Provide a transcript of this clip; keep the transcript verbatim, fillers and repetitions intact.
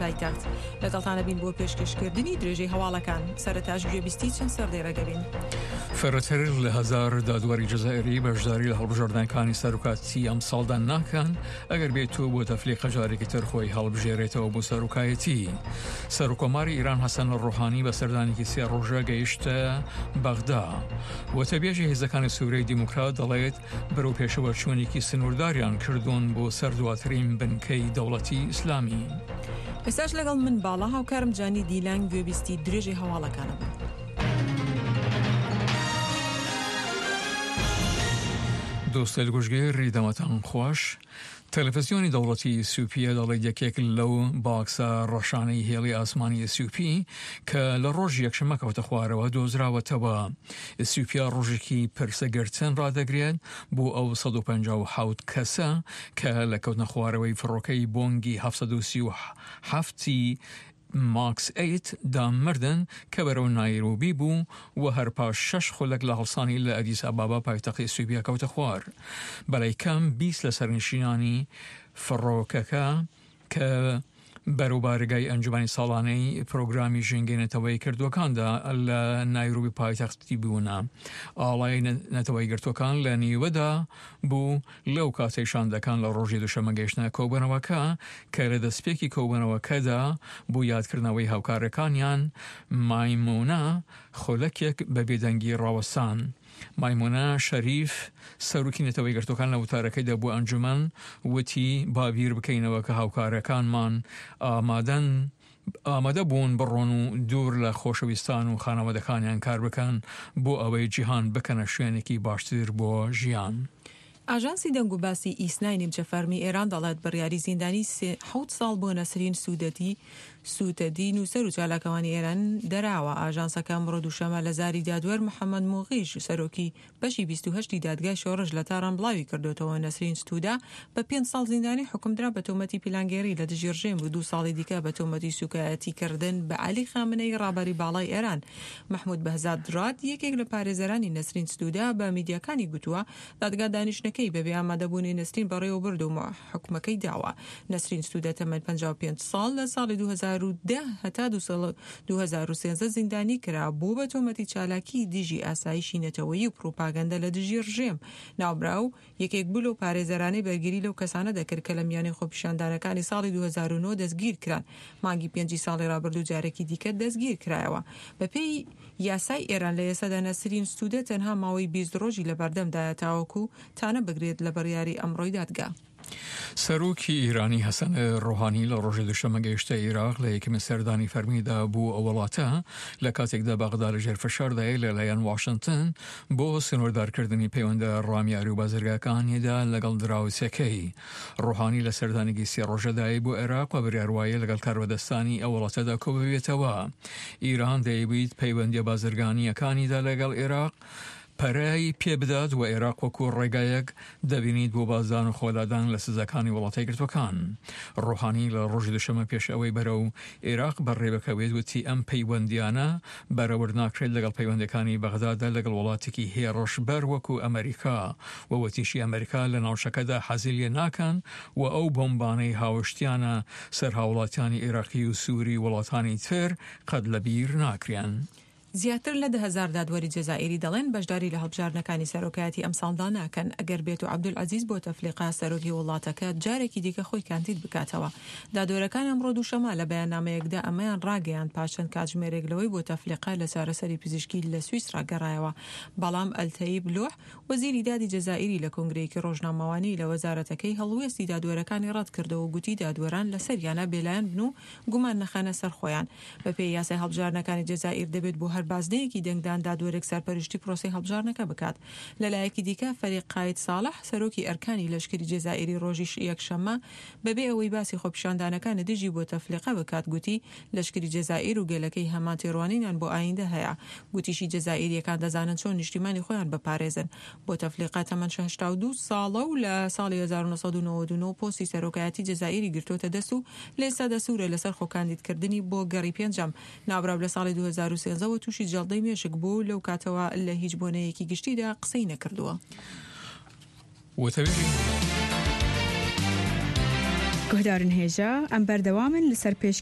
پایتەخت. لەگەڵتانە بین بۆ پێشکەشکردنی درێژەی هەواڵەکان. سەرەتاش گوێبیستی چەند سەردێڕێک دەبین. فرەتر لە هەزار دادوەری جەزائیری بەشداری لە هەڵبژاردنەکانی سەرۆکاتی ئەمساڵدا ناکەن ئەگەر بێت و بۆتەفلیقە جارێکی تر خۆی هەڵبژێرێتەوە بۆ سەرۆکایەتی. سەرۆکۆماری ئێران حەسەن ڕۆحانی بە سەردانێکی سێ ڕۆژە گەیشتە بەغدا. وتەبێژی هێزەکانی سووریای دیموکرات دەڵێت بەرەو پێشەوە چوونێکی سنوورداریان کردوون بۆ سەر دواترین بنکەی دەوڵەتی ئیسلامی. ئێستاش لەگەڵ من باڵا هاوکارم جانی دیلان گوێبیستی درێژەی هەواڵەکانە بن. دۆستەیل گوشگێری دەمەتان خوەش. تەلەڤزیۆنی دەوڵەتی ئیسیوپیا دەڵێت یەکێک لەو باکسە ڕەشانەی هێڵی ئاسمانی ئیسیوپی کە لە ڕۆژی یەکشەممە کەوتە خوارەوە دۆزراوەتەوە. ئیسیوپیا ڕۆژێکی پرسەگرتن ڕادەگرێت بۆ ئەو سەد و پەنجا و حەوت کەسە کە لە کەوتنە خوارەوەی فڕۆکەی بۆنگی حەفت سەد و سی و حەفت ی ماکس ئەیت دا مردن کە بەرەو نایرۆبی بوو و هەر پاش شەش خولەک لە هەڵسانی لە ئەدیس ئابابا پایتەختی ئیسیوپیا کەوتە خوار. بەلای کەم بیست لە سەرنشینانی فڕۆکەکە کە بەرەو بارەگای ئەنجومەنی ساڵانەی پرۆگرامی ژینگەی نەتەوەی کردووەکاندا لە نایرۆبی پایتەختی بوونە. ئاڵای نەتەوەی گرتووەکان لە نیوەدا بوو لەو کاتەی شاندەکان لە ڕۆژی دووشەممە گەیشتنە کۆبوونەوەکە کە لە دەستپێکی کۆبوونەوەکەدا بۆ یادکردنەوەی هاوکارەکانیان مایمونە خولەکێک بە بێدەنگی ڕاوەستان. مایمونە شەریف سەرۆکی نەتەوە یەکگرتووەکان لە وتارەکەیدا بۆ ئەنجومەن وتی با بیر بکەینەوە کە هاوکارەکانمان ئامادەن ئامادە بوون بڕۆن و دوور لە خۆشەویستان و خانەوادەکانیان کار بکەن بۆ ئەوەی جیهان بکەنە شوێنێکی باشتر بۆ ژیان. ئاژانسی دەنگوباسی ئیسنای نیمچە فەرمی ئێران دەڵێت بڕیاری زیندانی سێ حەوت ساڵ بۆ نەسرین سوودەدی سووتەدی نووسەر و چالاکوانی ئێران دەراوە. ئاژانسەکە ئەمڕۆ دووشەممە لە زاری دادوەر محەممەد موغیش سەرۆکی بەشی بیست و هەشت ی دادگای شۆڕش لە تاران بڵاوی کردووەتەوە نەسرین ستوودە بە پێنج ساڵ زیندانی حوکمدرا بە تۆمەتی پیلانگێڕی لە دژی ڕژێم و دوو ساڵی دیکە بە تۆمەتی سووکایەتیکردن بە عەلی خامنەیی ڕابەری باڵای ئێران. مەحموود بەهزاد ڕاد یەکێک لە پارێزەرانی نەسرین ستوودە بە میدیاکانی گوتووە دادگا دانیشتنەکەی بەبێ ئامادەبوونی نەسرین بەڕێوەبرد و حوکمەکەی داوە. نەسرین ستوودە تەمەن پەنجا و پێنج ساڵ لە ساڵی دوو هەزار و دە هەتا دوو هەزار و سێزدە زیندانی کرا بوو بە تۆمەتی چالاکی دژی ئاسایشی نەتەوەیی و پروپاگەندە لە دژی ڕژێم. ناوبراو یەکێک بوو لەو پارێزەرانەی بەرگری لەو کەسانە دەکرد کە لە میانەی خۆپیشاندانەکانی ساڵی دوو هەزار و نۆ دەستگیر کران. مانگی پێنجی ساڵی ڕابردوو جارێکی دیکە دەستگیر کرایەوە. بەپێی یاسای ئێران لە ئێستادا نەسرین ستوودە تەنها ماوەی بیست ڕۆژی لەبەردەمدایە تاوەکو تانە بگرێت لە بڕیاری ئەمڕۆی دادگا. سەرۆکی ئیرانی حەسەن ڕۆحانی لە ڕۆژی دووشەممە گەیشتە ئیراق لە یەکەمین سەردانی فەرمیدا بۆ ئەو وڵاتە لە کاتێکدا بەغدا لەژێر فشاردایە لەلایەن واشنتن بۆ سنووردارکردنی پەیوەندە ڕامیاری و بازرگاکانیدا لەگەڵ دراوسێکەی. ڕۆحانی لە سەردانێکی سێ ڕۆژەدایە بۆ عێراق و بڕیار وایە لەگەڵ کاربەدەستانی ئەو وڵاتەدا کۆببێتەوە. ئیران دەیەویت پەیوەندیە بازرگانییەکانیدا لەگەڵ عێراق پەرەی پێبدات و عێراق وەکو ڕێگایەک دەبینیت بۆ بازدان و خۆلادان لە سزاکانی وڵاتە یەکگرتووەکان. ڕۆحانی لە ڕۆژی دووشەممە پێش ئەوەی بەرەو عێراق بەڕێبکەوێت وتی ئەم پەیوەندیانە بەرەورد ناکرێت لەگەڵ پەیوەندیەکانی بەغدادا لەگەڵ وڵاتێکی هێڕشبەر وەکو ئەمەریکا و وتیشی ئەمەریکا لە ناوچەکەدا حەزی لێ ناکەن و ئەو بۆمبانەی هاوشتیانە سەر هاوڵاتیانی عێراقی و سوری و وڵاتانی تر قەت لەبیر ناکرێن. زیاتر لە دە هەزار دادوەری جەزائیری دەڵێن بەشداری لە هەڵبژاردنەکانی سەرۆکایەتی ئەمساڵدا ناکەن ئەگەر بێتو عەبدولعەزیز بوتەفلیقە سەرۆکی وڵاتەکە جارێکی دیکە خۆی کاندید بکاتەوە. دادوەرەکان ئەمڕۆ دووشەممە لە بەیاننامەیەکدا ئەمەیان ڕاگەیاند پاش چەند کاتژمێرێک لەوەی بوتەفلیقە لە چارەسەری پزیشکی لە سویسرا گەڕایەوە. بەڵام ئەلتەیب لوح وەزیری دادی جەزائیری لە کۆنگرەیەکی ڕۆژنامەوانی لە وەزارەتەکەی هەڵوێستی دادوەرەکانی ڕەتکردەوە و گوتی دادوەران لەسەریانە بێلایەن بن و گومان نەخەنە سەر خۆیان. بەپێی یاسای هەڵبژاردنەکانی جەزائیر دەبێت بۆ هەر بازنەیەکی دەنگدان دادوەرێک سەرپەرشتی پرۆسەی هەڵبژاردنەکە بکات. لەلایەکی دیکە فەریق قاید ساڵح سەرۆکی ئەرکانی لەشکری جەزائیری ڕۆژی یەکشەممە بەبێ ئەوەی باسی خۆپیشاندانەکانی دژی بوتەفلیقە بکات گوتی لەشکری جەزائیر و گەلەکەی هەمان تێڕوانینیان بۆ ئایندە هەیە. گوتیشی جەزائیرییەکان دەزانن چۆن نیشتیمانی خۆیان بپارێزن. بوتەفلیقە تەمەن هەشتا و دوو ساڵە و لە ساڵی هەزار و نۆ سەد و نەوەد و نۆ پۆستی سەرۆکایەتی جەزائیری گرتووەتە دەست و لە ئێستادا سوورە لەسەر خۆکاندیدکردنی بۆ گەڕی پێنجەم. ناوبراو لە ساڵی دوو هەزار و سێزدە وە تووشی جەڵدەی مێشک بوو و لەو کاتەوە لە هیچ بۆنەیەکی گشتیدا قسەی نەکردووە. وتەبێژی. گوهدارن هێژا، ئەم بەردەوامن لەسەر پێشکێش.